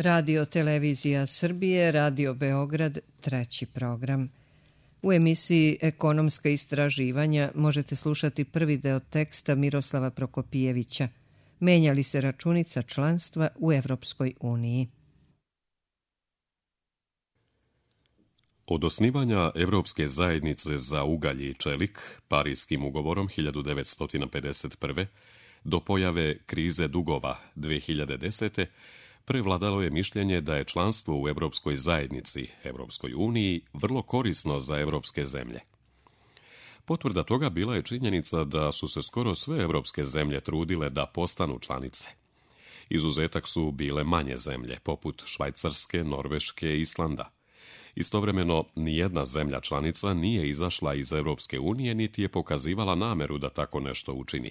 Radio Televizija Srbije, Radio Beograd, treći program. U emisiji Ekonomska istraživanja možete slušati prvi deo teksta Miroslava Prokopijevića. Menja li se računica članstva u Evropskoj uniji? Od osnivanja Evropske zajednice za ugalj i čelik, Parijskim ugovorom 1951. do pojave krize dugova 2010. prevladalo je mišljenje da je članstvo u Evropskoj zajednici, Evropskoj uniji, vrlo korisno za evropske zemlje. Potvrda toga bila je činjenica da su se skoro sve evropske zemlje trudile da postanu članice. Izuzetak su bile manje zemlje, poput Švajcarske, Norveške i Islanda. Istovremeno, nijedna zemlja članica nije izašla iz Evropske unije niti je pokazivala nameru da tako nešto učini.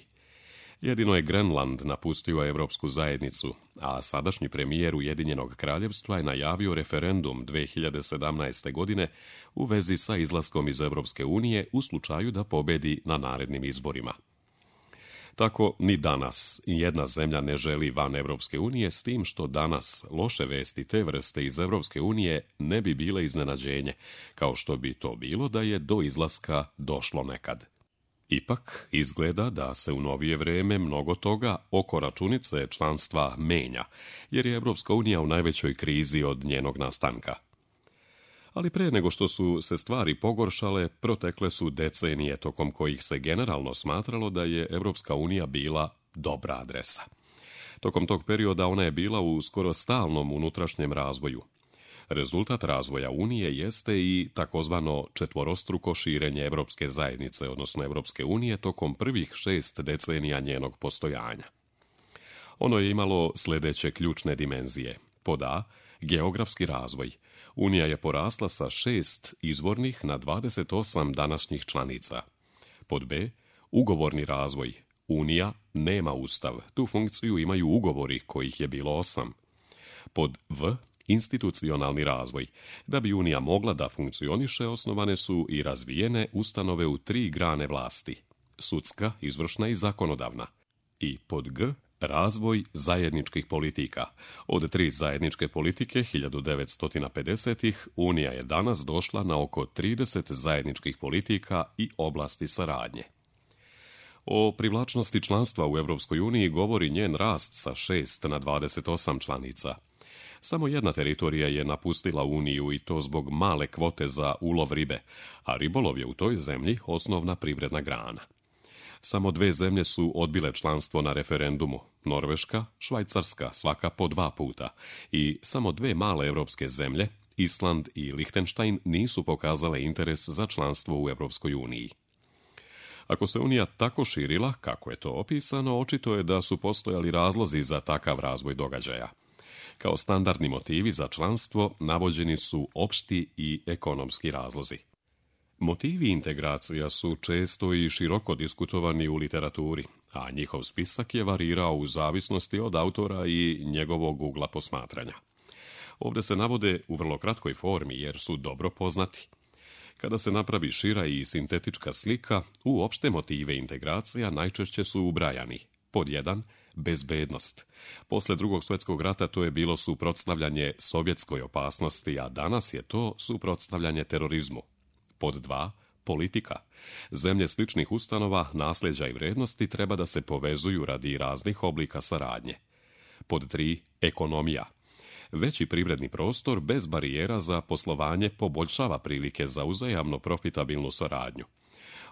Jedino je Grenland napustio Evropsku zajednicu, a sadašnji premijer Ujedinjenog kraljevstva je najavio referendum 2017. godine u vezi sa izlaskom iz Evropske unije u slučaju da pobedi na narednim izborima. Tako ni danas jedna zemlja ne želi van Evropske unije, s tim što danas loše vesti te vrste iz Evropske unije ne bi bile iznenađenje, kao što bi to bilo da je do izlaska došlo nekad. Ipak, izgleda da se u novije vreme mnogo toga oko računice članstva menja, jer je Evropska unija u najvećoj krizi od njenog nastanka. Ali pre nego što su se stvari pogoršale, protekle su decenije tokom kojih se generalno smatralo da je Evropska unija bila dobra adresa. Tokom tog perioda ona je bila u skoro stalnom unutrašnjem razvoju. Rezultat razvoja Unije jeste i takozvano četvorostruko širenje Evropske zajednice, odnosno Evropske unije, tokom prvih 6 decenija njenog postojanja. Ono je imalo sljedeće ključne dimenzije. Pod A, geografski razvoj. Unija je porasla sa 6 izvornih na 28 današnjih članica. Pod B, ugovorni razvoj. Unija nema ustav. Tu funkciju imaju ugovori, kojih je bilo 8. Pod V, institucionalni razvoj. Da bi Unija mogla da funkcioniše, osnovane su i razvijene ustanove u 3 grane vlasti. Sudska, izvršna i zakonodavna. I pod G, razvoj zajedničkih politika. Od 3 zajedničke politike 1950-ih Unija je danas došla na oko 30 zajedničkih politika i oblasti saradnje. O privlačnosti članstva u Evropskoj uniji govori njen rast sa 6 na 28 članica. Samo jedna teritorija je napustila Uniju i to zbog male kvote za ulov ribe, a ribolov je u toj zemlji osnovna privredna grana. Samo 2 zemlje su odbile članstvo na referendumu, Norveška, Švajcarska, svaka po 2 puta, i samo 2 male evropske zemlje, Island i Lihtenštajn, nisu pokazale interes za članstvo u Evropskoj uniji. Ako se Unija tako širila, kako je to opisano, očito je da su postojali razlozi za takav razvoj događaja. Kao standardni motivi za članstvo navođeni su opšti i ekonomski razlozi. Motivi integracija su često i široko diskutovani u literaturi, a njihov spisak je varirao u zavisnosti od autora i njegovog ugla posmatranja. Ovdje se navode u vrlo kratkoj formi jer su dobro poznati. Kada se napravi šira i sintetička slika, u opšte motive integracija najčešće su ubrajani. Pod 1. Bezbednost. Posle Drugog svjetskog rata to je bilo suprotstavljanje sovjetskoj opasnosti, a danas je to suprotstavljanje terorizmu. Pod 2. Politika. Zemlje sličnih ustanova, nasljeđa i vrednosti treba da se povezuju radi raznih oblika saradnje. Pod 3. Ekonomija. Veći privredni prostor bez barijera za poslovanje poboljšava prilike za uzajamno profitabilnu saradnju.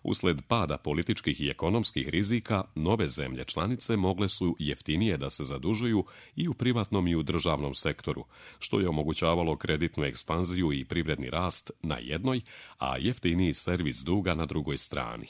Usled pada političkih i ekonomskih rizika, nove zemlje članice mogle su jeftinije da se zadužuju i u privatnom i u državnom sektoru, što je omogućavalo kreditnu ekspanziju i privredni rast na jednoj, a jeftiniji servis duga na drugoj strani.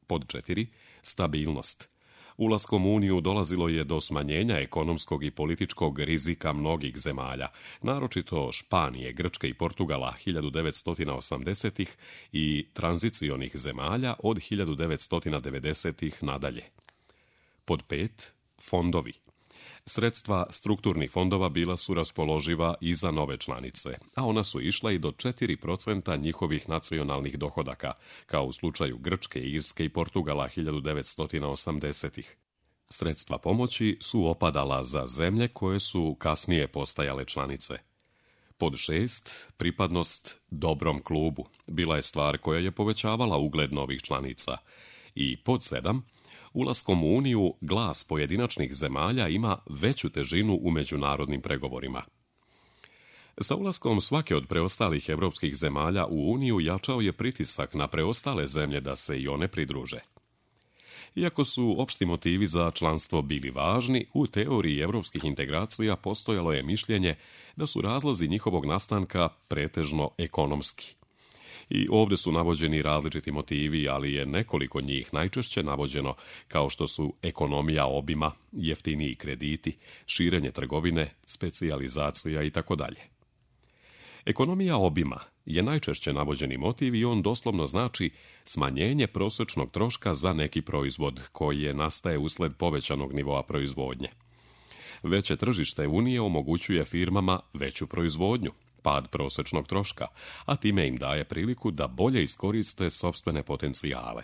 Pod 4. Stabilnost. Ulaskom u Uniju dolazilo je do smanjenja ekonomskog i političkog rizika mnogih zemalja, naročito Španije, Grčke i Portugala 1980-ih i tranzicionih zemalja od 1990-ih nadalje. Pod 5. Fondovi. Sredstva strukturnih fondova bila su raspoloživa i za nove članice, a ona su išla i do 4% njihovih nacionalnih dohodaka, kao u slučaju Grčke, Irske i Portugala 1980-ih. Sredstva pomoći su opadala za zemlje koje su kasnije postajale članice. Pod 6, pripadnost dobrom klubu bila je stvar koja je povećavala ugled novih članica. I pod 7, ulaskom u Uniju glas pojedinačnih zemalja ima veću težinu u međunarodnim pregovorima. Sa ulaskom svake od preostalih evropskih zemalja u Uniju jačao je pritisak na preostale zemlje da se i one pridruže. Iako su opšti motivi za članstvo bili važni, u teoriji evropskih integracija postojalo je mišljenje da su razlozi njihovog nastanka pretežno ekonomski. I ovdje su navođeni različiti motivi, ali je nekoliko njih najčešće navođeno kao što su ekonomija obima, jeftiniji krediti, širenje trgovine, specijalizacija itd. Ekonomija obima je najčešće navođeni motiv i on doslovno znači smanjenje prosječnog troška za neki proizvod koji nastaje usled povećanog nivoa proizvodnje. Veće tržište Unije omogućuje firmama veću proizvodnju, pad prosječnog troška, a time im daje priliku da bolje iskoriste sopstvene potencijale.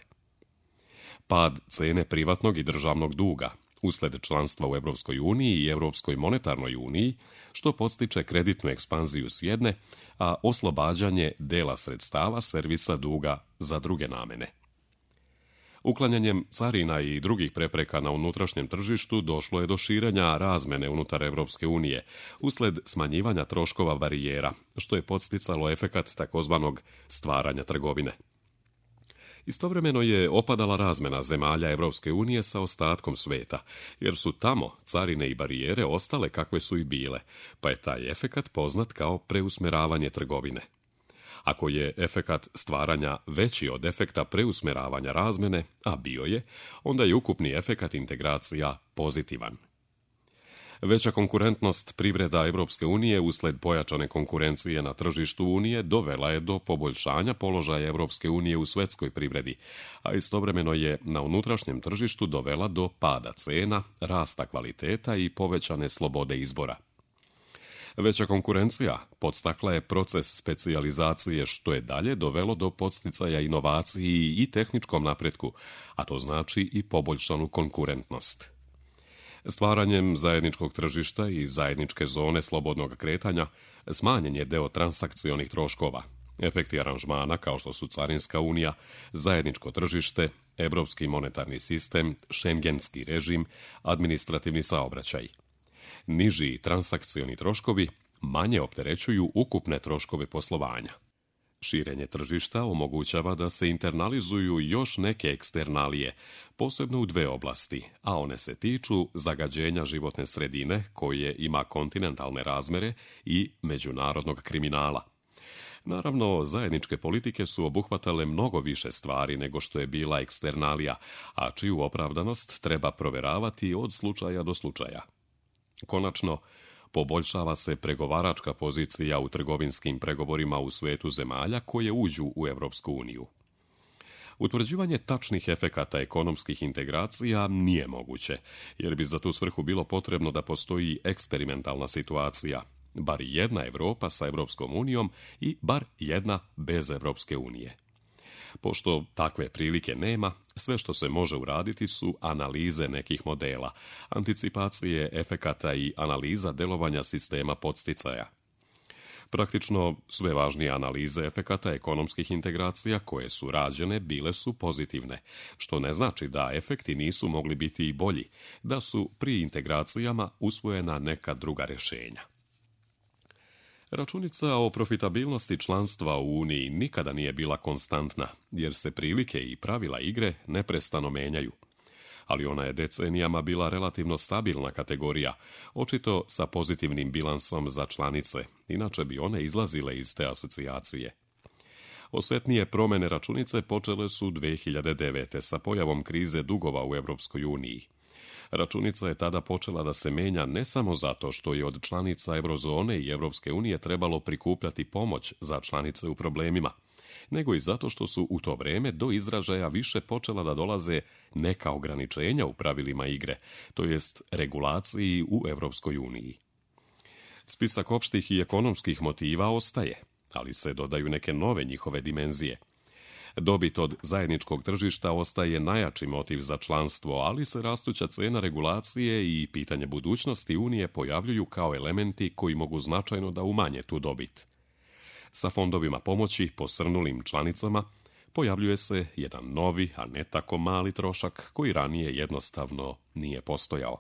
Pad cene privatnog i državnog duga usled članstva u Europskoj uniji i Europskoj monetarnoj uniji, što podstiče kreditnu ekspanziju s jedne, a oslobađanje dela sredstava servisa duga za druge namene. Uklanjanjem carina i drugih prepreka na unutrašnjem tržištu došlo je do širenja razmene unutar Europske unije usled smanjivanja troškova barijera, što je podsticalo efekat takozvanog stvaranja trgovine. Istovremeno je opadala razmena zemalja Europske unije sa ostatkom sveta, jer su tamo carine i barijere ostale kakve su i bile, pa je taj efekat poznat kao preusmeravanje trgovine. Ako je efekat stvaranja veći od efekta preusmeravanja razmene, a bio je, onda je ukupni efekat integracija pozitivan. Veća konkurentnost privreda Europske unije usled pojačane konkurencije na tržištu Unije dovela je do poboljšanja položaja Europske unije u svjetskoj privredi, a istovremeno je na unutrašnjem tržištu dovela do pada cena, rasta kvaliteta i povećane slobode izbora. Veća konkurencija podstakla je proces specijalizacije, što je dalje dovelo do podsticaja inovaciji i tehničkom napretku, a to znači i poboljšanu konkurentnost. Stvaranjem zajedničkog tržišta i zajedničke zone slobodnog kretanja smanjen je deo transakcionih troškova. Efekti aranžmana kao što su Carinska unija, zajedničko tržište, Europski monetarni sistem, šengenski režim, administrativni saobraćaj. Niži transakcioni troškovi manje opterećuju ukupne troškove poslovanja. Širenje tržišta omogućava da se internalizuju još neke eksternalije, posebno u dve oblasti, a one se tiču zagađenja životne sredine, koje ima kontinentalne razmere, i međunarodnog kriminala. Naravno, zajedničke politike su obuhvatale mnogo više stvari nego što je bila eksternalija, a čiju opravdanost treba proveravati od slučaja do slučaja. Konačno, poboljšava se pregovaračka pozicija u trgovinskim pregovorima u svetu zemalja koje uđu u Europsku uniju. Utvrđivanje tačnih efekata ekonomskih integracija nije moguće, jer bi za tu svrhu bilo potrebno da postoji eksperimentalna situacija, bar jedna Europa sa Europskom unijom i bar jedna bez Europske unije. Pošto takve prilike nema, sve što se može uraditi su analize nekih modela, anticipacije efekata i analiza delovanja sistema podsticaja. Praktično sve važnije analize efekata ekonomskih integracija koje su rađene bile su pozitivne, što ne znači da efekti nisu mogli biti i bolji, da su pri integracijama usvojena neka druga rješenja. Računica o profitabilnosti članstva u Uniji nikada nije bila konstantna, jer se prilike i pravila igre neprestano menjaju. Ali ona je decenijama bila relativno stabilna kategorija, očito sa pozitivnim bilansom za članice, inače bi one izlazile iz te asocijacije. Osjetnije promjene računice počele su 2009. sa pojavom krize dugova u Europskoj uniji. Računica je tada počela da se menja ne samo zato što je od članica Eurozone i Europske unije trebalo prikupljati pomoć za članice u problemima, nego i zato što su u to vrijeme do izražaja više počela da dolaze neka ograničenja u pravilima igre, to jest regulaciji u Europskoj uniji. Spisak opštih i ekonomskih motiva ostaje, ali se dodaju neke nove njihove dimenzije. Dobit od zajedničkog tržišta ostaje najjači motiv za članstvo, ali se rastuća cena regulacije i pitanje budućnosti Unije pojavljuju kao elementi koji mogu značajno da umanje tu dobit. Sa fondovima pomoći posrnulim članicama pojavljuje se jedan novi, a ne tako mali trošak koji ranije jednostavno nije postojao.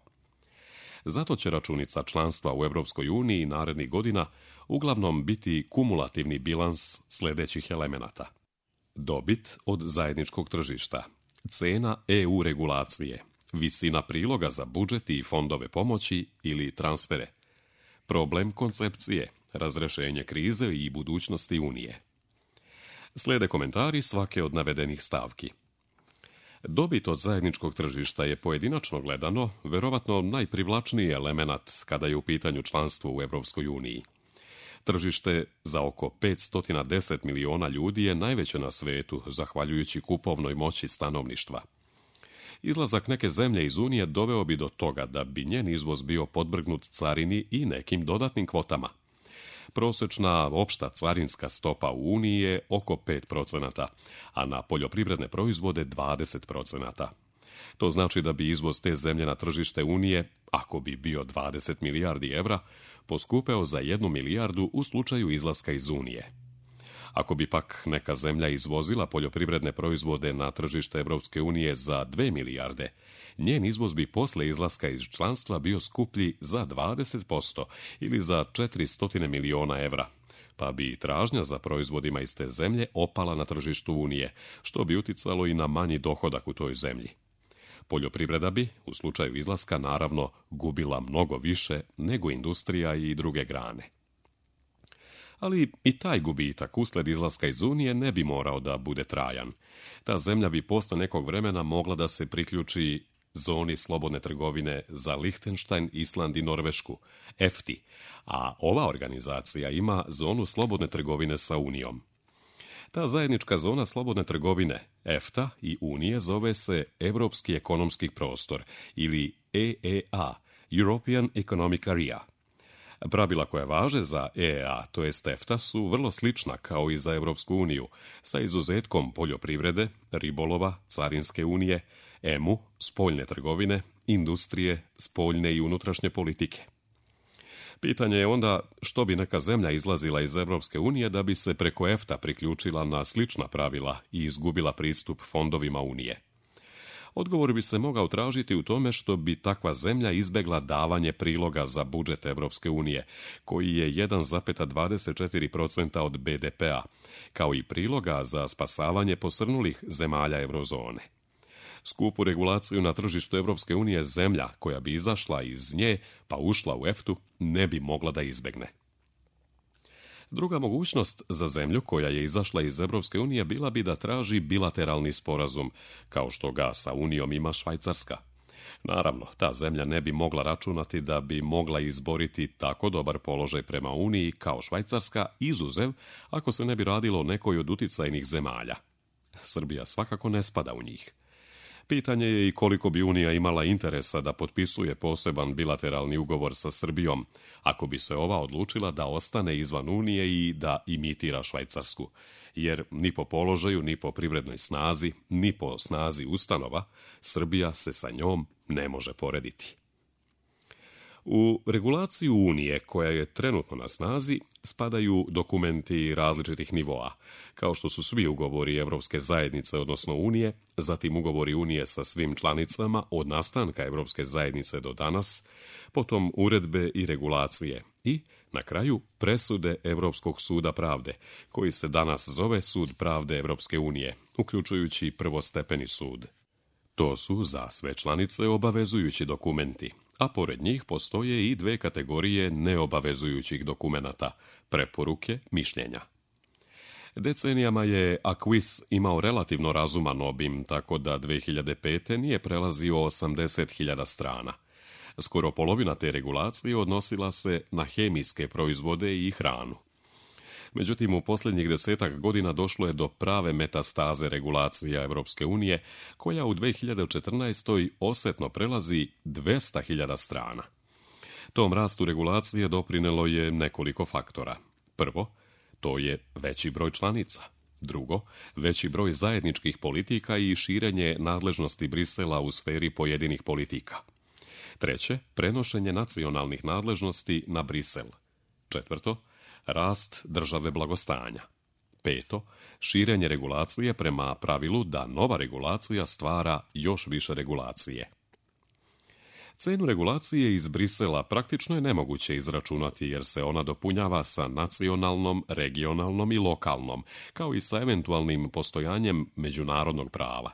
Zato će računica članstva u Europskoj uniji narednih godina uglavnom biti kumulativni bilans sljedećih elemenata. Dobit od zajedničkog tržišta, cena EU regulacije, visina priloga za budžet i fondove pomoći ili transfere, problem koncepcije, razrešenje krize i budućnosti Unije. Slijede komentari svake od navedenih stavki. Dobit od zajedničkog tržišta je pojedinačno gledano verovatno najprivlačniji element kada je u pitanju članstvo u Europskoj uniji. Tržište za oko 510 miliona ljudi je najveće na svetu, zahvaljujući kupovnoj moći stanovništva. Izlazak neke zemlje iz Unije doveo bi do toga da bi njen izvoz bio podvrgnut carini i nekim dodatnim kvotama. Prosječna opšta carinska stopa u Uniji je oko 5%, a na poljoprivredne proizvode 20%. To znači da bi izvoz te zemlje na tržište Unije, ako bi bio 20 milijardi evra, poskupeo za 1 milijardu u slučaju izlaska iz Unije. Ako bi pak neka zemlja izvozila poljoprivredne proizvode na tržište Europske unije za 2 milijarde, njen izvoz bi posle izlaska iz članstva bio skuplji za 20% ili za 400 miliona evra, pa bi tražnja za proizvodima iz te zemlje opala na tržištu Unije, što bi uticalo i na manji dohodak u toj zemlji. Poljoprivreda bi, u slučaju izlaska, naravno gubila mnogo više nego industrija i druge grane. Ali i taj gubitak usled izlaska iz Unije ne bi morao da bude trajan. Ta zemlja bi posle nekog vremena mogla da se priključi zoni slobodne trgovine za Lihtenštajn, Island i Norvešku, EFTA, a ova organizacija ima zonu slobodne trgovine sa Unijom. Ta zajednička zona slobodne trgovine, EFTA i Unije, zove se Europski ekonomski prostor ili EEA, European Economic Area. Pravila koja važe za EEA, to jest EFTA, su vrlo slična kao i za Europsku uniju, sa izuzetkom poljoprivrede, ribolova, carinske unije, EMU, spoljne trgovine, industrije, spoljne i unutrašnje politike. Pitanje je onda što bi neka zemlja izlazila iz Europske unije da bi se preko EFTA priključila na slična pravila i izgubila pristup fondovima Unije. Odgovor bi se mogao tražiti u tome što bi takva zemlja izbegla davanje priloga za budžet Europske unije, koji je 1,24% od BDP-a, kao i priloga za spasavanje posrnulih zemalja eurozone. Skupu regulaciju na tržištu Europske unije zemlja koja bi izašla iz nje pa ušla u EFTA ne bi mogla da izbegne. Druga mogućnost za zemlju koja je izašla iz Europske unije bila bi da traži bilateralni sporazum, kao što ga sa Unijom ima Švajcarska. Naravno, ta zemlja ne bi mogla računati da bi mogla izboriti tako dobar položaj prema Uniji kao Švajcarska, izuzev ako se ne bi radilo o nekoj od uticajnih zemalja. Srbija svakako ne spada u njih. Pitanje je i koliko bi Unija imala interesa da potpisuje poseban bilateralni ugovor sa Srbijom, ako bi se ova odlučila da ostane izvan Unije i da imitira Švajcarsku, jer ni po položaju, ni po privrednoj snazi, ni po snazi ustanova, Srbija se sa njom ne može porediti. U regulaciju Unije, koja je trenutno na snazi, spadaju dokumenti različitih nivoa, kao što su svi ugovori Evropske zajednice, odnosno Unije, zatim ugovori Unije sa svim članicama od nastanka Evropske zajednice do danas, potom uredbe i regulacije i, na kraju, presude Evropskog suda pravde, koji se danas zove Sud pravde Evropske unije, uključujući prvostepeni sud. To su za sve članice obavezujući dokumenti, a pored njih postoje i dve kategorije neobavezujućih dokumenata, preporuke, mišljenja. Decenijama je Acquis imao relativno razuman obim, tako da 2005. nije prelazio 80.000 strana. Skoro polovina te regulacije odnosila se na hemijske proizvode i hranu. Međutim, u posljednjih 10 godina došlo je do prave metastaze regulacija Evropske unije, koja u 2014. osetno prelazi 200.000 strana. Tom rastu regulacije doprinelo je nekoliko faktora. Prvo, to je veći broj članica. Drugo, veći broj zajedničkih politika i širenje nadležnosti Brisela u sferi pojedinih politika. Treće, prenošenje nacionalnih nadležnosti na Brisel. Četvrto, rast države blagostanja. Peto, širenje regulacije prema pravilu da nova regulacija stvara još više regulacije. Cenu regulacije iz Brisela praktično je nemoguće izračunati jer se ona dopunjava sa nacionalnom, regionalnom i lokalnom, kao i sa eventualnim postojanjem međunarodnog prava.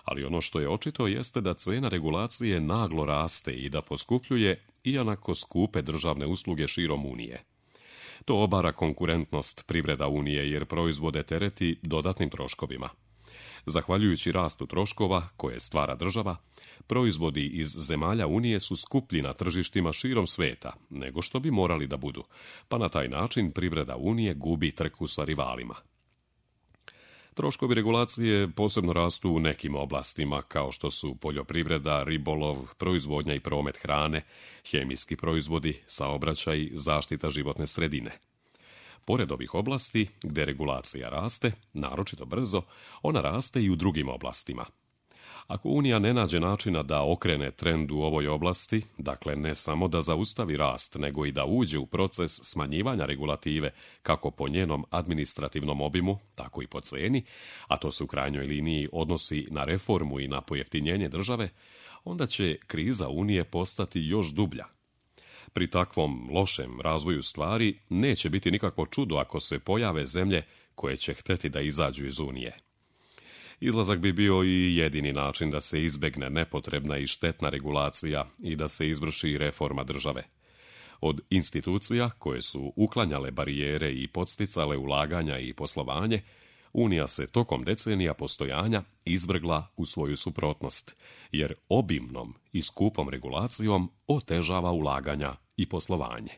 Ali ono što je očito jeste da cena regulacije naglo raste i da poskupljuje iako skupe državne usluge širom Unije. To obara konkurentnost privreda Unije jer proizvode tereti dodatnim troškovima. Zahvaljujući rastu troškova koje stvara država, proizvodi iz zemalja Unije su skuplji na tržištima širom sveta nego što bi morali da budu, pa na taj način privreda Unije gubi trku sa rivalima. Troškovi regulacije posebno rastu u nekim oblastima kao što su poljoprivreda, ribolov, proizvodnja i promet hrane, hemijski proizvodi, saobraćaj, zaštita životne sredine. Pored ovih oblasti, gde regulacija raste, naročito brzo, ona raste i u drugim oblastima. Ako Unija ne nađe načina da okrene trend u ovoj oblasti, dakle ne samo da zaustavi rast, nego i da uđe u proces smanjivanja regulative, kako po njenom administrativnom obimu, tako i po ceni, a to se u krajnjoj liniji odnosi na reformu i na pojeftinjenje države, onda će kriza Unije postati još dublja. Pri takvom lošem razvoju stvari neće biti nikakvo čudo ako se pojave zemlje koje će hteti da izađu iz Unije. Izlazak bi bio i jedini način da se izbegne nepotrebna i štetna regulacija i da se izvrši reforma države. Od institucija koje su uklanjale barijere i podsticale ulaganja i poslovanje, Unija se tokom decenija postojanja izvrgla u svoju suprotnost, jer obimnom i skupom regulacijom otežava ulaganja i poslovanje.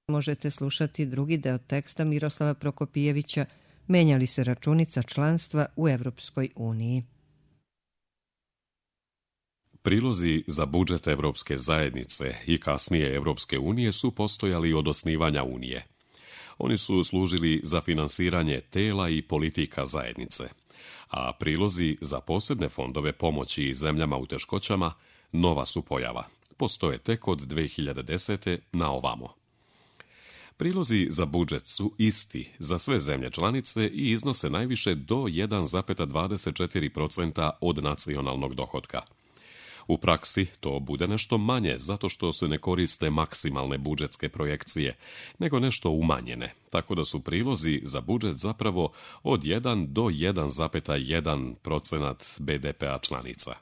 Možete slušati drugi deo teksta Miroslava Prokopijevića Menja li se računica članstva u Evropskoj uniji? Prilozi za budžet Evropske zajednice i kasnije Evropske unije su postojali od osnivanja Unije. Oni su služili za finansiranje tela i politika zajednice, a prilozi za posebne fondove pomoći zemljama u teškoćama nova su pojava. Postoje tek od 2010. na ovamo. Prilozi za budžet su isti za sve zemlje članice i iznose najviše do 1,24% od nacionalnog dohotka. U praksi to bude nešto manje zato što se ne koriste maksimalne budžetske projekcije, nego nešto umanjene, tako da su prilozi za budžet zapravo od 1 do 1,1% BDP-a članica.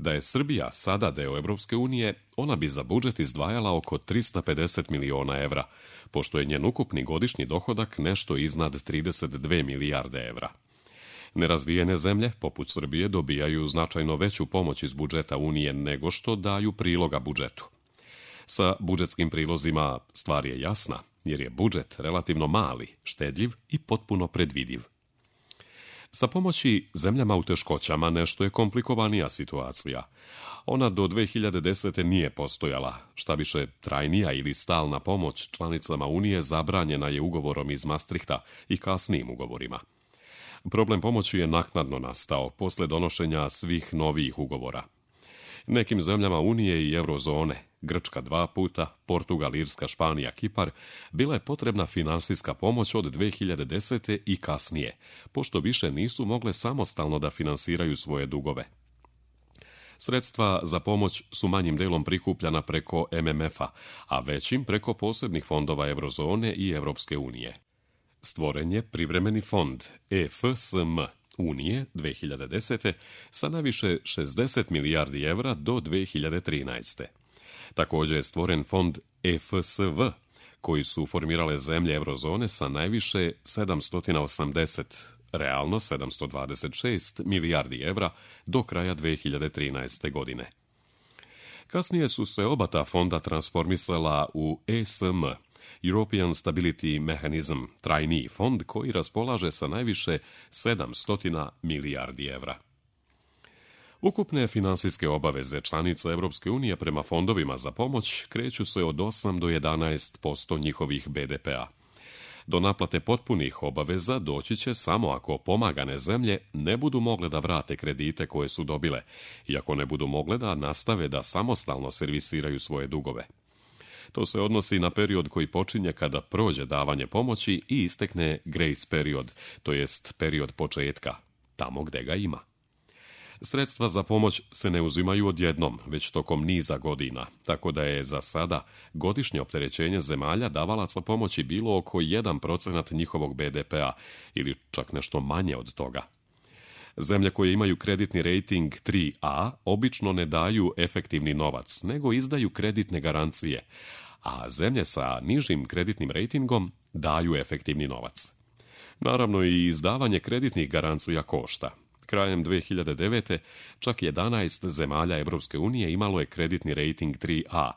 Da je Srbija sada deo Evropske unije, ona bi za budžet izdvajala oko 350 miliona evra, pošto je njen ukupni godišnji dohodak nešto iznad 32 milijarde evra. Nerazvijene zemlje, poput Srbije, dobijaju značajno veću pomoć iz budžeta Unije nego što daju priloga budžetu. Sa budžetskim prilozima stvar je jasna, jer je budžet relativno mali, štedljiv i potpuno predvidiv. Sa pomoći zemljama u teškoćama nešto je komplikovanija situacija. Ona do 2010. nije postojala, šta više trajnija ili stalna pomoć članicama Unije zabranjena je ugovorom iz Maastrichta i kasnijim ugovorima. Problem pomoći je naknadno nastao posle donošenja svih novijih ugovora. Nekim zemljama Unije i Eurozone, Grčka 2 puta, Portugal, Irska, Španija, Kipar, bila je potrebna finansijska pomoć od 2010. i kasnije, pošto više nisu mogle samostalno da finansiraju svoje dugove. Sredstva za pomoć su manjim delom prikupljana preko MMF-a, a većim preko posebnih fondova Eurozone i Evropske unije. Stvoren je privremeni fond EFSM Unije 2010. sa najviše 60 milijardi evra do 2013. Također je stvoren fond EFSV, koji su formirale zemlje Eurozone sa najviše 780, realno 726 milijardi evra do kraja 2013. godine. Kasnije su se oba ta fonda transformisala u ESM, European Stability Mechanism, trajniji fond koji raspolaže sa najviše 700 milijardi evra. Ukupne finansijske obaveze članica Evropske unije prema fondovima za pomoć kreću se od 8 do 11% njihovih BDP-a. Do naplate potpunih obaveza doći će samo ako pomagane zemlje ne budu mogle da vrate kredite koje su dobile, i ako ne budu mogle da nastave da samostalno servisiraju svoje dugove. To se odnosi na period koji počinje kada prođe davanje pomoći i istekne grace period, to jest period početka, tamo gde ga ima. Sredstva za pomoć se ne uzimaju odjednom, već tokom niza godina, tako da je za sada godišnje opterećenje zemalja davalaca pomoći bilo oko 1% njihovog BDP-a ili čak nešto manje od toga. Zemlje koje imaju kreditni rating 3A obično ne daju efektivni novac, nego izdaju kreditne garancije, a zemlje sa nižim kreditnim rejtingom daju efektivni novac. Naravno, i izdavanje kreditnih garancija košta. Krajem 2009. čak 11 zemalja Evropske unije imalo je kreditni rating 3A,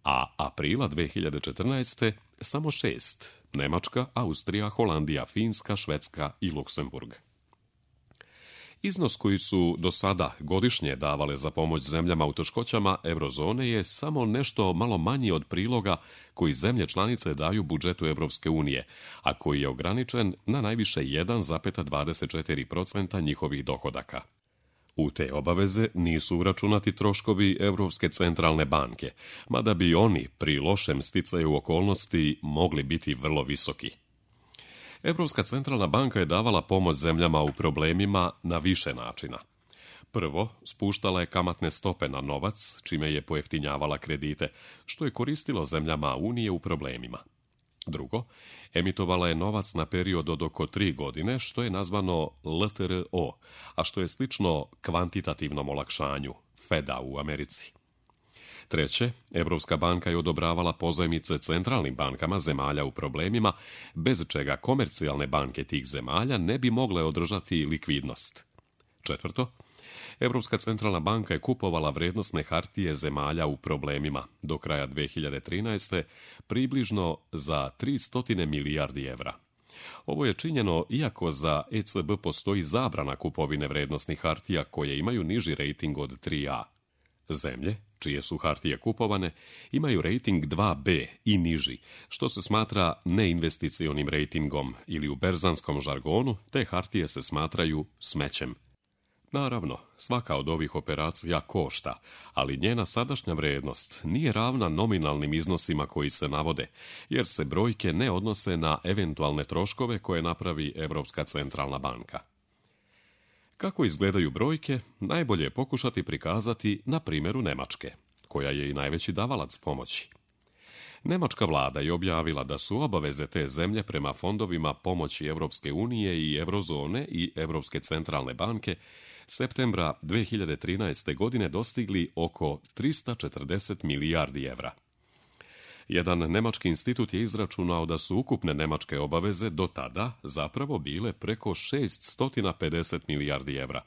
a aprila 2014. samo 6: Nemačka, Austrija, Holandija, Finska, Švedska i Luksemburg. Iznos koji su do sada godišnje davale za pomoć zemljama u teškoćama eurozone je samo nešto malo manji od priloga koji zemlje članice daju budžetu Evropske unije, a koji je ograničen na najviše 1,24% njihovih dohodaka. U te obaveze nisu uračunati troškovi Evropske centralne banke, mada bi oni pri lošem sticaju okolnosti mogli biti vrlo visoki. Evropska centralna banka je davala pomoć zemljama u problemima na više načina. Prvo, spuštala je kamatne stope na novac, čime je pojeftinjavala kredite, što je koristilo zemljama Unije u problemima. Drugo, emitovala je novac na period od oko 3 godine, što je nazvano LTRO, a što je slično kvantitativnom olakšanju, Feda u Americi. Treće, Evropska banka je odobravala pozajmice centralnim bankama zemalja u problemima, bez čega komercijalne banke tih zemalja ne bi mogle održati likvidnost. Četvrto, Evropska centralna banka je kupovala vrednosne hartije zemalja u problemima do kraja 2013. približno za 300 milijardi evra. Ovo je činjeno iako za ECB postoji zabrana kupovine vrednosnih hartija koje imaju niži rejting od 3A. Zemlje, čije su hartije kupovane, imaju rejting 2B i niži, što se smatra neinvesticionim rejtingom ili u berzanskom žargonu, te hartije se smatraju smećem. Naravno, svaka od ovih operacija košta, ali njena sadašnja vrednost nije ravna nominalnim iznosima koji se navode, jer se brojke ne odnose na eventualne troškove koje napravi Evropska centralna banka. Kako izgledaju brojke, najbolje je pokušati prikazati na primjeru Nemačke, koja je i najveći davalac pomoći. Nemačka vlada je objavila da su obaveze te zemlje prema fondovima pomoći Evropske unije i Eurozone i Evropske centralne banke septembra 2013. godine dostigli oko 340 milijardi evra. Jedan nemački institut je izračunao da su ukupne nemačke obaveze do tada zapravo bile preko 650 milijardi evra.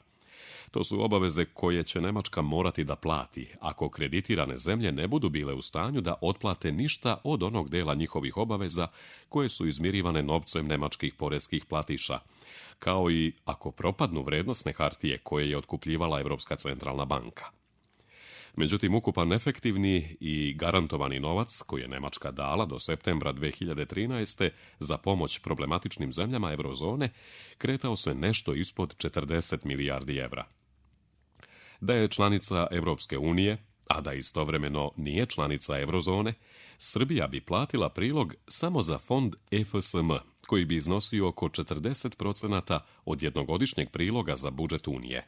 To su obaveze koje će Nemačka morati da plati ako kreditirane zemlje ne budu bile u stanju da otplate ništa od onog dela njihovih obaveza koje su izmirivane novcem nemačkih poreskih platiša, kao i ako propadnu vrednosne hartije koje je otkupljivala Evropska centralna banka. Međutim, ukupan efektivni i garantovani novac koji je Nemačka dala do septembra 2013. za pomoć problematičnim zemljama eurozone kretao se nešto ispod 40 milijardi evra. Da je članica Evropske unije, a da istovremeno nije članica eurozone, Srbija bi platila prilog samo za fond EFSM, koji bi iznosio oko 40% od jednogodišnjeg priloga za budžet Unije.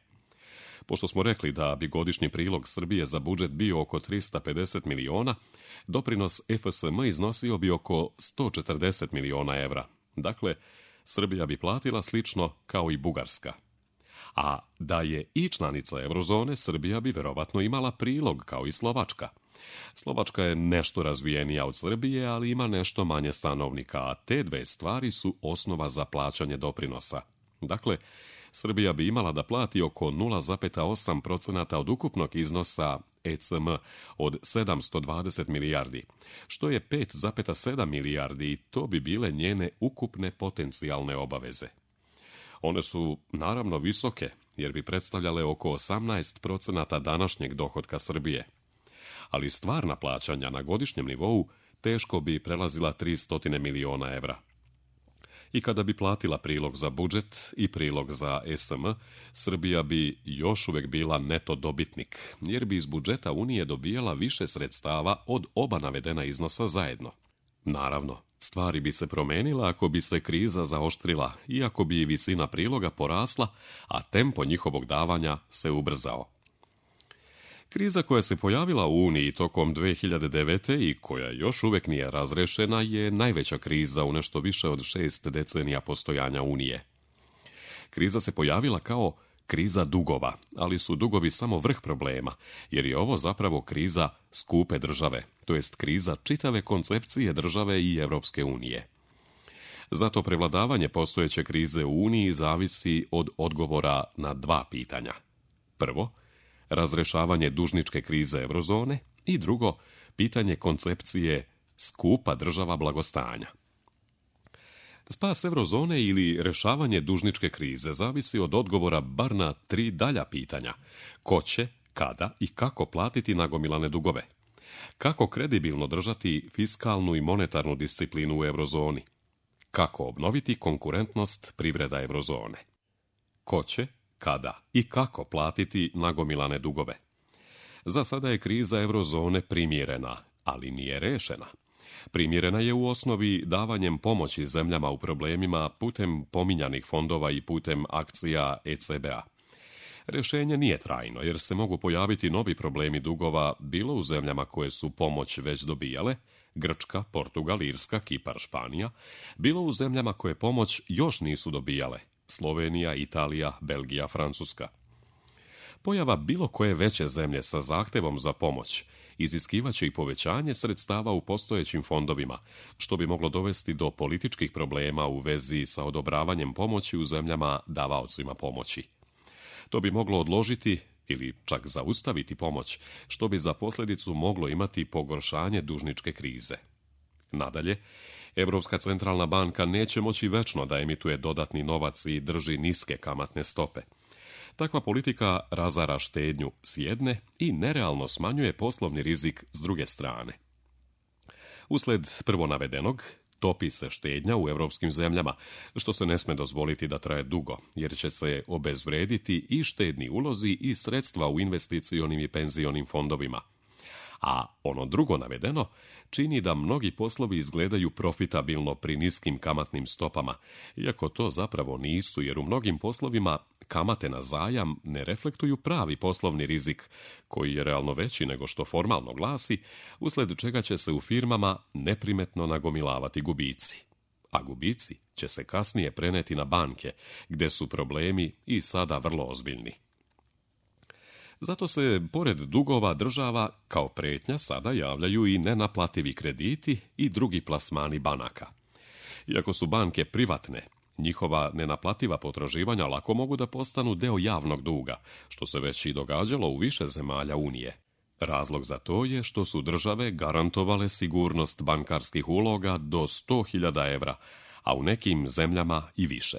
Pošto smo rekli da bi godišnji prilog Srbije za budžet bio oko 350 miliona, doprinos EFSM iznosio bi oko 140 miliona evra. Dakle, Srbija bi platila slično kao i Bugarska. A da je i članica eurozone, Srbija bi verovatno imala prilog kao i Slovačka. Slovačka je nešto razvijenija od Srbije, ali ima nešto manje stanovnika, a te dve stvari su osnova za plaćanje doprinosa. Dakle, Srbija bi imala da plati oko 0,8% od ukupnog iznosa ECM od 720 milijardi, što je 5,7 milijardi i to bi bile njene ukupne potencijalne obaveze. One su naravno visoke, jer bi predstavljale oko 18% današnjeg dohotka Srbije. Ali stvarna plaćanja na godišnjem nivou teško bi prelazila 300 miliona evra. I kada bi platila prilog za budžet i prilog za SM, Srbija bi još uvijek bila neto dobitnik, jer bi iz budžeta Unije dobijala više sredstava od oba navedena iznosa zajedno. Naravno, stvari bi se promenila ako bi se kriza zaoštrila i ako bi visina priloga porasla, a tempo njihovog davanja se ubrzao. Kriza koja se pojavila u Uniji tokom 2009. i koja još uvijek nije razrešena je najveća kriza u nešto više od 6 decenija postojanja Unije. Kriza se pojavila kao kriza dugova, ali su dugovi samo vrh problema, jer je ovo zapravo kriza skupe države, to jest kriza čitave koncepcije države i Europske unije. Zato prevladavanje postojeće krize u Uniji zavisi od odgovora na dva pitanja. Prvo, razrešavanje dužničke krize eurozone i drugo, pitanje koncepcije skupa država blagostanja. Spas eurozone ili rešavanje dužničke krize zavisi od odgovora bar na 3 dalja pitanja. Ko će, kada i kako platiti nagomilane dugove? Kako kredibilno držati fiskalnu i monetarnu disciplinu u eurozoni? Kako obnoviti konkurentnost privreda eurozone? Ko će, kada i kako platiti nagomilane dugove? Za sada je kriza eurozone primjerena, ali nije rešena. Primjerena je u osnovi davanjem pomoći zemljama u problemima putem pominjanih fondova i putem akcija ECB-a. Rješenje nije trajno, jer se mogu pojaviti novi problemi dugova bilo u zemljama koje su pomoć već dobijale, Grčka, Portugal, Irska, Kipar, Španija, bilo u zemljama koje pomoć još nisu dobijale, Slovenija, Italija, Belgija, Francuska. Pojava bilo koje veće zemlje sa zahtevom za pomoć iziskivaće i povećanje sredstava u postojećim fondovima, što bi moglo dovesti do političkih problema u vezi sa odobravanjem pomoći u zemljama davaocima pomoći. To bi moglo odložiti ili čak zaustaviti pomoć, što bi za posljedicu moglo imati pogoršanje dužničke krize. Nadalje, Europska centralna banka neće moći večno da emituje dodatni novac i drži niske kamatne stope. Takva politika razara štednju s jedne i nerealno smanjuje poslovni rizik s druge strane. Usled prvo navedenog, topi se štednja u europskim zemljama, što se ne sme dozvoliti da traje dugo, jer će se obezvrediti i štedni ulozi i sredstva u investicionim i penzionim fondovima. A ono drugo navedeno čini da mnogi poslovi izgledaju profitabilno pri niskim kamatnim stopama, iako to zapravo nisu, jer u mnogim poslovima kamate na zajam ne reflektuju pravi poslovni rizik, koji je realno veći nego što formalno glasi, usled čega će se u firmama neprimetno nagomilavati gubici. A gubici će se kasnije preneti na banke, gde su problemi i sada vrlo ozbiljni. Zato se, pored dugova država, kao pretnja sada javljaju i nenaplativi krediti i drugi plasmani banaka. Iako su banke privatne, njihova nenaplativa potraživanja lako mogu da postanu deo javnog duga, što se već i događalo u više zemalja Unije. Razlog za to je što su države garantovale sigurnost bankarskih uloga do 100.000 evra, a u nekim zemljama i više.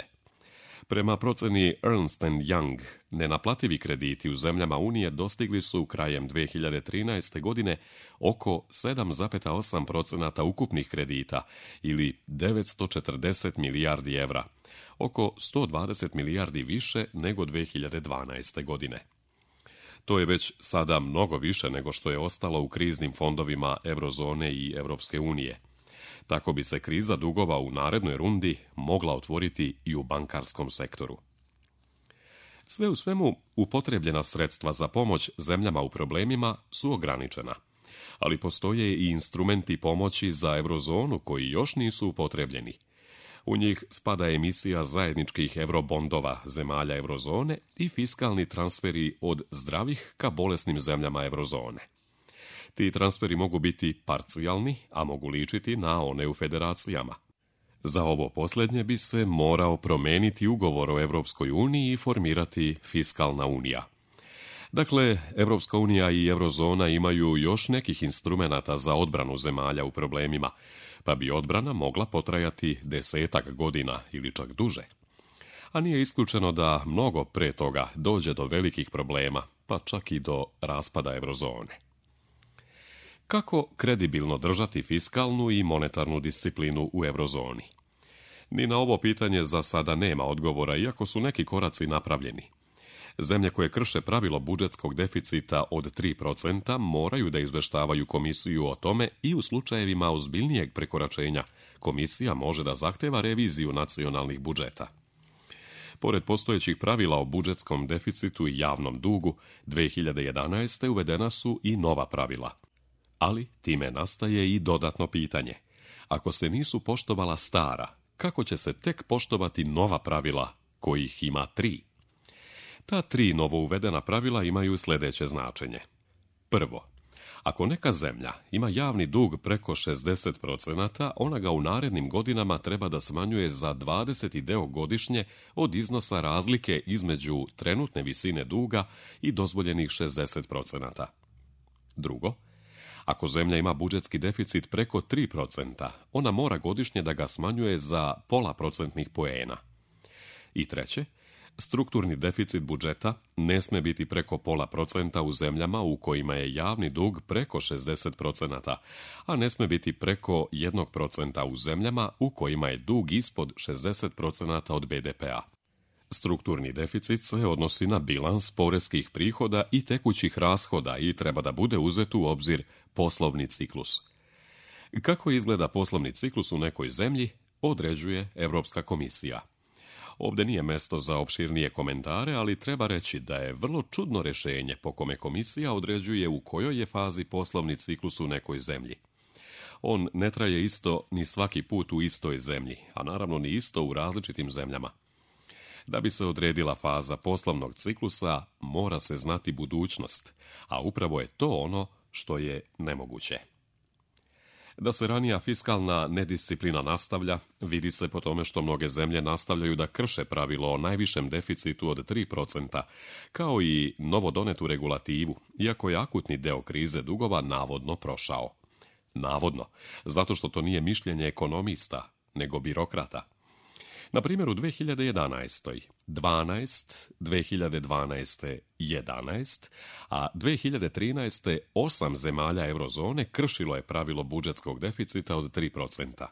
Prema proceni Ernst & Young, nenaplativi krediti u zemljama Unije dostigli su krajem 2013. godine oko 7,8% ukupnih kredita ili 940 milijardi evra, oko 120 milijardi više nego 2012. godine. To je već sada mnogo više nego što je ostalo u kriznim fondovima eurozone i Europske unije. Tako bi se kriza dugova u narednoj rundi mogla otvoriti i u bankarskom sektoru. Sve u svemu, upotrebljena sredstva za pomoć zemljama u problemima su ograničena, ali postoje i instrumenti pomoći za eurozonu koji još nisu upotrebljeni. U njih spada emisija zajedničkih eurobondova zemalja eurozone i fiskalni transferi od zdravih ka bolesnim zemljama eurozone. Ti transferi mogu biti parcijalni, a mogu ličiti na one u federacijama. Za ovo posljednje bi se morao promeniti ugovor o Europskoj uniji i formirati fiskalna unija. Dakle, Europska unija i eurozona imaju još nekih instrumenata za odbranu zemalja u problemima, pa bi odbrana mogla potrajati 10 godina ili čak duže. A nije isključeno da mnogo pre toga dođe do velikih problema, pa čak i do raspada eurozone. Kako kredibilno držati fiskalnu i monetarnu disciplinu u eurozoni? Ni na ovo pitanje za sada nema odgovora, iako su neki koraci napravljeni. Zemlje koje krše pravilo budžetskog deficita od 3% moraju da izveštavaju komisiju o tome i u slučajevima ozbiljnijeg prekoračenja komisija može da zahteva reviziju nacionalnih budžeta. Pored postojećih pravila o budžetskom deficitu i javnom dugu, 2011. uvedena su i nova pravila. Ali time nastaje i dodatno pitanje. Ako se nisu poštovala stara, kako će se tek poštovati nova pravila, kojih ima 3? Ta 3 novouvedena pravila imaju sljedeće značenje. Prvo, ako neka zemlja ima javni dug preko 60%, ona ga u narednim godinama treba da smanjuje za 20 deo godišnje od iznosa razlike između trenutne visine duga i dozvoljenih 60%. Drugo, ako zemlja ima budžetski deficit preko 3%, ona mora godišnje da ga smanjuje za 0,5% poena. I treće, strukturni deficit budžeta ne sme biti preko 0,5% u zemljama u kojima je javni dug preko 60%, a ne sme biti preko 1% u zemljama u kojima je dug ispod 60% od BDP-a. Strukturni deficit se odnosi na bilans poreskih prihoda i tekućih rashoda i treba da bude uzet u obzir poslovni ciklus. Kako izgleda poslovni ciklus u nekoj zemlji, određuje Evropska komisija. Ovdje nije mesto za opširnije komentare, ali treba reći da je vrlo čudno rješenje po kome komisija određuje u kojoj je fazi poslovni ciklus u nekoj zemlji. On ne traje isto ni svaki put u istoj zemlji, a naravno ni isto u različitim zemljama. Da bi se odredila faza poslovnog ciklusa, mora se znati budućnost, a upravo je to ono što je nemoguće. Da se ranija fiskalna nedisciplina nastavlja, vidi se po tome što mnoge zemlje nastavljaju da krše pravilo o najvišem deficitu od 3%, kao i novodonetu regulativu, iako je akutni deo krize dugova navodno prošao. Navodno, zato što to nije mišljenje ekonomista, nego birokrata. Na primjer, u 2011. 12, 2012. 11, a 2013. 8 zemalja eurozone kršilo je pravilo budžetskog deficita od 3%.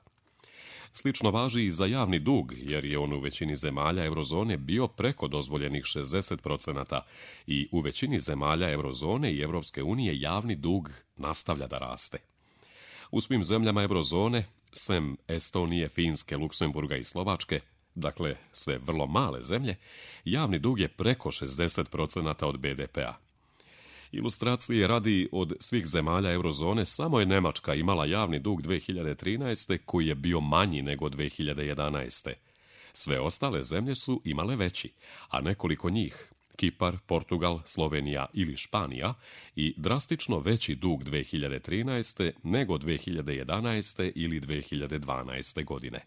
Slično važi i za javni dug, jer je on u većini zemalja eurozone bio preko dozvoljenih 60% i u većini zemalja eurozone i Evropske unije javni dug nastavlja da raste. U svim zemljama eurozone, sem Estonije, Finske, Luksemburga i Slovačke, dakle sve vrlo male zemlje, javni dug je preko 60% od BDP-a. Ilustracije radi, od svih zemalja eurozone samo je Nemačka imala javni dug 2013. koji je bio manji nego 2011. Sve ostale zemlje su imale veći, a nekoliko njih, Kipar, Portugal, Slovenija ili Španija, i drastično veći dug 2013. nego 2011. ili 2012. godine.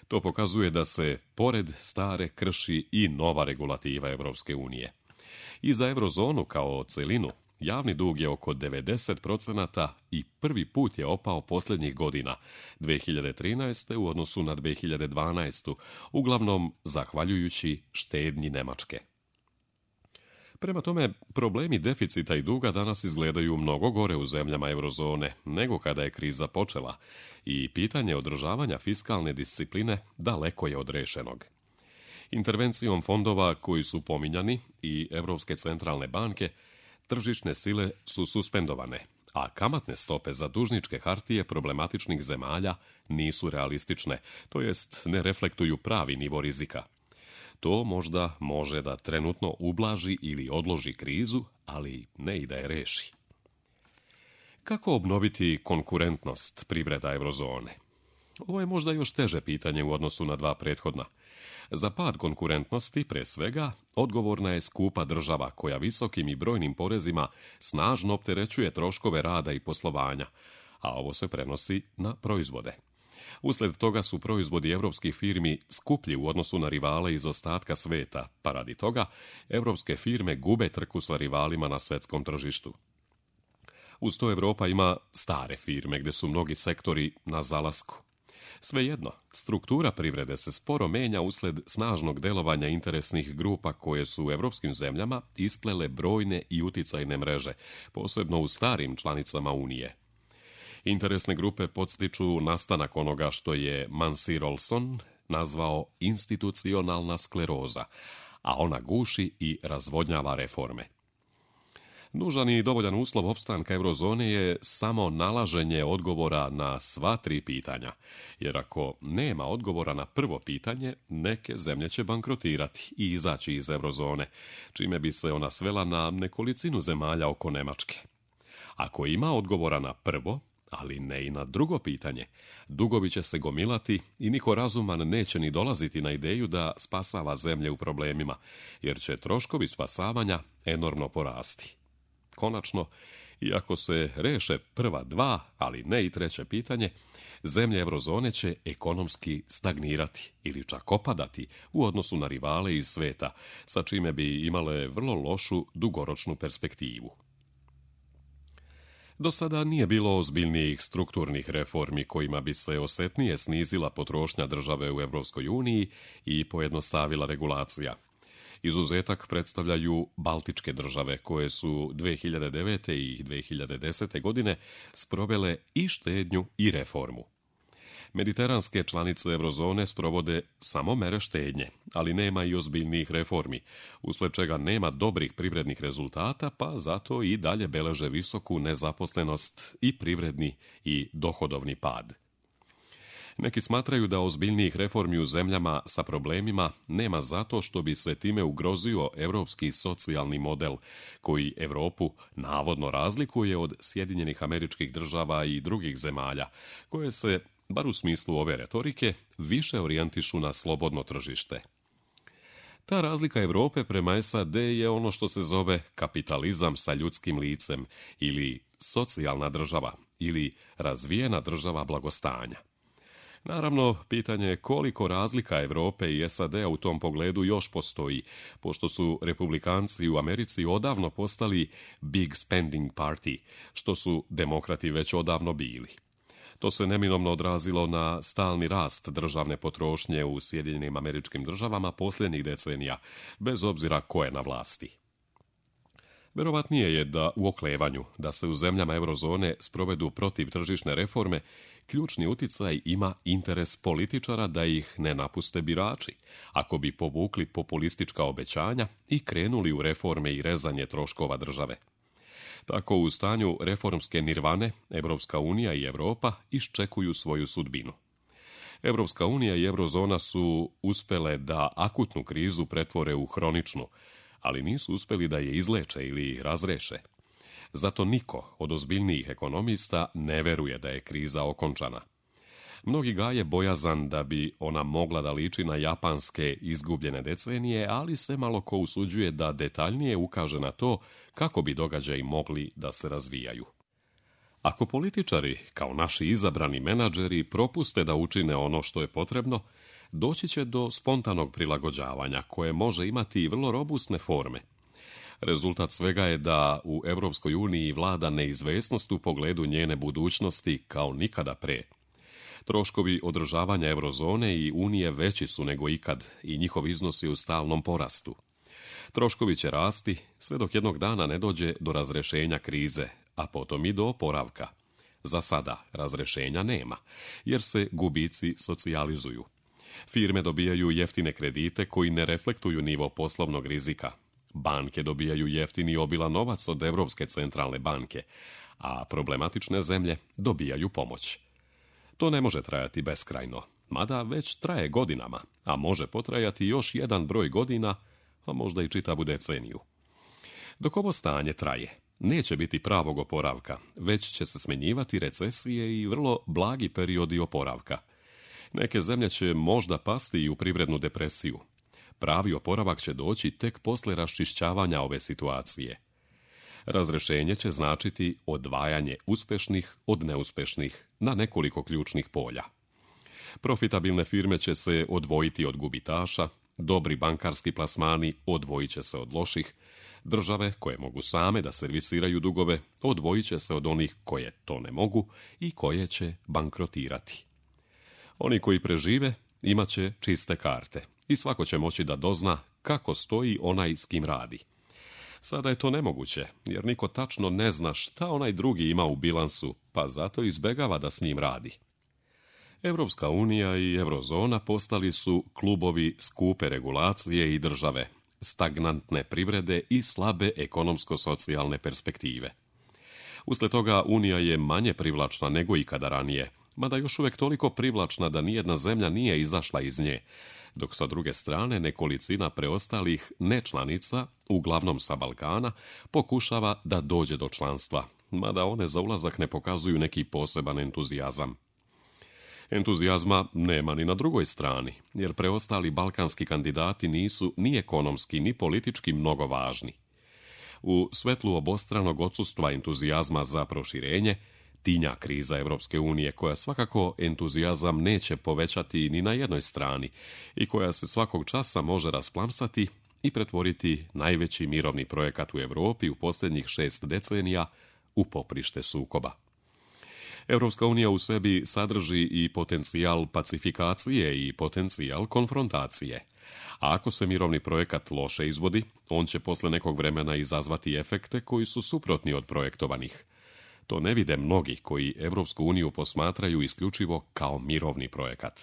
To pokazuje da se, pored stare, krši i nova regulativa Evropske unije. I za eurozonu kao celinu, javni dug je oko 90% i prvi put je opao posljednjih godina, 2013. u odnosu na 2012. uglavnom zahvaljujući štednji Nemačke. Prema tome, problemi deficita i duga danas izgledaju mnogo gore u zemljama eurozone nego kada je kriza počela i pitanje održavanja fiskalne discipline daleko je od rešenog. Intervencijom fondova koji su pominjani i Evropske centralne banke, tržišne sile su suspendovane, a kamatne stope za dužničke hartije problematičnih zemalja nisu realistične, to jest ne reflektuju pravi nivo rizika. To možda može da trenutno ublaži ili odloži krizu, ali ne i da je reši. Kako obnoviti konkurentnost privreda eurozone? Ovo je možda još teže pitanje u odnosu na dva prethodna. Za pad konkurentnosti, pre svega, odgovorna je skupa država koja visokim i brojnim porezima snažno opterećuje troškove rada i poslovanja, a ovo se prenosi na proizvode. Usled toga su proizvodi evropskih firmi skuplji u odnosu na rivale iz ostatka sveta, pa radi toga evropske firme gube trku sa rivalima na svetskom tržištu. Uz to Evropa ima stare firme gdje su mnogi sektori na zalasku. Svejedno, struktura privrede se sporo menja usled snažnog delovanja interesnih grupa koje su u evropskim zemljama isplele brojne i uticajne mreže, posebno u starim članicama Unije. Interesne grupe podstiču nastanak onoga što je Mansir Olson nazvao institucionalna skleroza, a ona guši i razvodnjava reforme. Nužan i dovoljan uslov opstanka eurozone je samo nalaženje odgovora na sva tri pitanja, jer ako nema odgovora na prvo pitanje, neke zemlje će bankrotirati i izaći iz eurozone, čime bi se ona svela na nekolicinu zemalja oko Nemačke. Ako ima odgovora na prvo, ali ne i na drugo pitanje, dugovi će se gomilati i niko razuman neće ni dolaziti na ideju da spasava zemlje u problemima, jer će troškovi spasavanja enormno porasti. Konačno, iako se reše prva dva, ali ne i treće pitanje, zemlje eurozone će ekonomski stagnirati ili čak opadati u odnosu na rivale iz sveta, sa čime bi imale vrlo lošu dugoročnu perspektivu. Do sada nije bilo ozbiljnijih strukturnih reformi kojima bi se osjetnije snizila potrošnja države u Europskoj uniji i pojednostavila regulacija. Izuzetak predstavljaju Baltičke države koje su 2009. i 2010. godine sprovele i štednju i reformu. Mediteranske članice eurozone sprovode samo mere štednje, ali nema i ozbiljnijih reformi, usled čega nema dobrih privrednih rezultata, pa zato i dalje beleže visoku nezaposlenost i privredni i dohodovni pad. Neki smatraju da ozbiljnijih reformi u zemljama sa problemima nema zato što bi se time ugrozio europski socijalni model, koji Europu navodno razlikuje od Sjedinjenih Američkih Država i drugih zemalja, koje se, bar u smislu ove retorike, više orijentišu na slobodno tržište. Ta razlika Europe prema SAD je ono što se zove kapitalizam sa ljudskim licem ili socijalna država ili razvijena država blagostanja. Naravno, pitanje je koliko razlika Europe i SAD-a u tom pogledu još postoji, pošto su republikanci u Americi odavno postali big spending party, što su demokrati već odavno bili. To se neminovno odrazilo na stalni rast državne potrošnje u Sjedinjenim Američkim Državama posljednjih decenija, bez obzira ko je na vlasti. Verovatnije je da u oklevanju da se u zemljama eurozone sprovedu protiv tržišne reforme, ključni uticaj ima interes političara da ih ne napuste birači, ako bi povukli populistička obećanja i krenuli u reforme i rezanje troškova države. Tako u stanju reformske nirvane, Europska unija i Europa iščekuju svoju sudbinu. Europska unija i eurozona su uspjele da akutnu krizu pretvore u hroničnu, ali nisu uspjeli da je izleče ili razreše. Zato niko od ozbiljnijih ekonomista ne veruje da je kriza okončana. Mnogi gaje bojazan da bi ona mogla da liči na japanske izgubljene decenije, ali se malo ko usuđuje da detaljnije ukaže na to kako bi događaji mogli da se razvijaju. Ako političari, kao naši izabrani menadžeri, propuste da učine ono što je potrebno, doći će do spontanog prilagođavanja koje može imati i vrlo robustne forme. Rezultat svega je da u Europskoj uniji vlada neizvesnost u pogledu njene budućnosti kao nikada pre. Troškovi održavanja eurozone i unije veći su nego ikad i njihov iznos je u stalnom porastu. Troškovi će rasti sve dok jednog dana ne dođe do razrešenja krize, a potom i do oporavka. Za sada razrešenja nema, jer se gubici socijalizuju. Firme dobijaju jeftine kredite koji ne reflektuju nivo poslovnog rizika. Banke dobijaju jeftini obilan novac od Europske centralne banke, a problematične zemlje dobijaju pomoć. To ne može trajati beskrajno, mada već traje godinama, a može potrajati još jedan broj godina, a možda i čitavu deceniju. Dok ovo stanje traje, neće biti pravog oporavka, već će se smenjivati recesije i vrlo blagi periodi oporavka. Neke zemlje će možda pasti i u privrednu depresiju. Pravi oporavak će doći tek posle raščišćavanja ove situacije. Razrešenje će značiti odvajanje uspešnih od neuspešnih na nekoliko ključnih polja. Profitabilne firme će se odvojiti od gubitaša, dobri bankarski plasmani odvojit će se od loših, države koje mogu same da servisiraju dugove odvojit će se od onih koje to ne mogu i koje će bankrotirati. Oni koji prežive imat će čiste karte i svako će moći da dozna kako stoji onaj s kim radi. Sada je to nemoguće, jer niko tačno ne zna šta onaj drugi ima u bilansu, pa zato izbegava da s njim radi. Europska unija i eurozona postali su klubovi skupe regulacije i države, stagnantne privrede i slabe ekonomsko-socijalne perspektive. Usled toga Unija je manje privlačna nego ikada ranije, mada još uvijek toliko privlačna da nijedna zemlja nije izašla iz nje, dok sa druge strane nekolicina preostalih nečlanica, uglavnom sa Balkana, pokušava da dođe do članstva, mada one za ulazak ne pokazuju neki poseban entuzijazam. Entuzijazma nema ni na drugoj strani, jer preostali balkanski kandidati nisu ni ekonomski ni politički mnogo važni. U svetlu obostranog odsustva entuzijazma za proširenje, tinja kriza Europske unije, koja svakako entuzijazam neće povećati ni na jednoj strani i koja se svakog časa može rasplamsati i pretvoriti najveći mirovni projekat u Europi u posljednjih 6 decenija u poprište sukoba. Europska unija u sebi sadrži i potencijal pacifikacije i potencijal konfrontacije. A ako se mirovni projekat loše izvodi, on će posle nekog vremena izazvati efekte koji su suprotni od projektovanih. To ne vide mnogi koji Europsku uniju posmatraju isključivo kao mirovni projekat.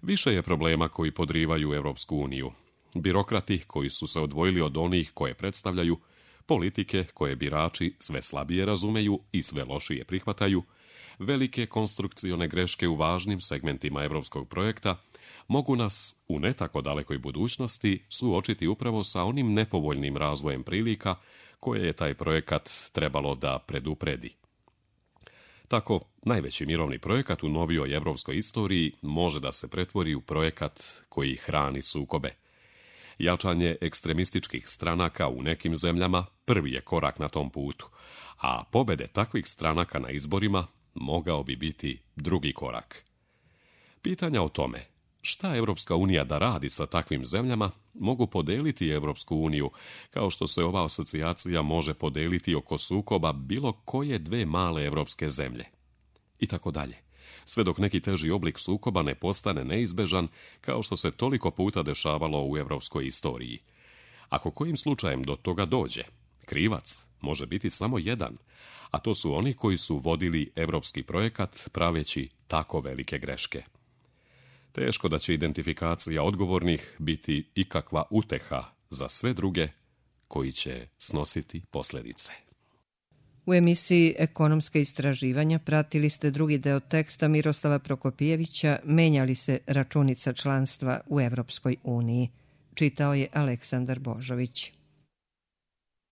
Više je problema koji podrivaju Europsku uniju. Birokrati koji su se odvojili od onih koje predstavljaju, politike koje birači sve slabije razumeju i sve lošije prihvataju, velike konstrukcione greške u važnim segmentima europskog projekta mogu nas u ne tako dalekoj budućnosti suočiti upravo sa onim nepovoljnim razvojem prilika koje je taj projekat trebalo da predupredi. Tako, najveći mirovni projekat u novijoj europskoj istoriji može da se pretvori u projekat koji hrani sukobe. Jačanje ekstremističkih stranaka u nekim zemljama prvi je korak na tom putu, a pobede takvih stranaka na izborima mogao bi biti drugi korak. Pitanja o tome šta Europska unija da radi sa takvim zemljama mogu podeliti Europsku uniju, kao što se ova asocijacija može podeliti oko sukoba bilo koje dve male europske zemlje. I tako dalje. Sve dok neki teži oblik sukoba ne postane neizbežan, kao što se toliko puta dešavalo u europskoj istoriji. Ako kojim slučajem do toga dođe, krivac može biti samo jedan, a to su oni koji su vodili europski projekat praveći tako velike greške. Teško da će identifikacija odgovornih biti ikakva uteha za sve druge koji će snositi posljedice. U emisiji Ekonomska istraživanja pratili ste drugi deo teksta Miroslava Prokopijevića Menja li se računica članstva u Europskoj uniji. Čitao je Aleksandar Božović.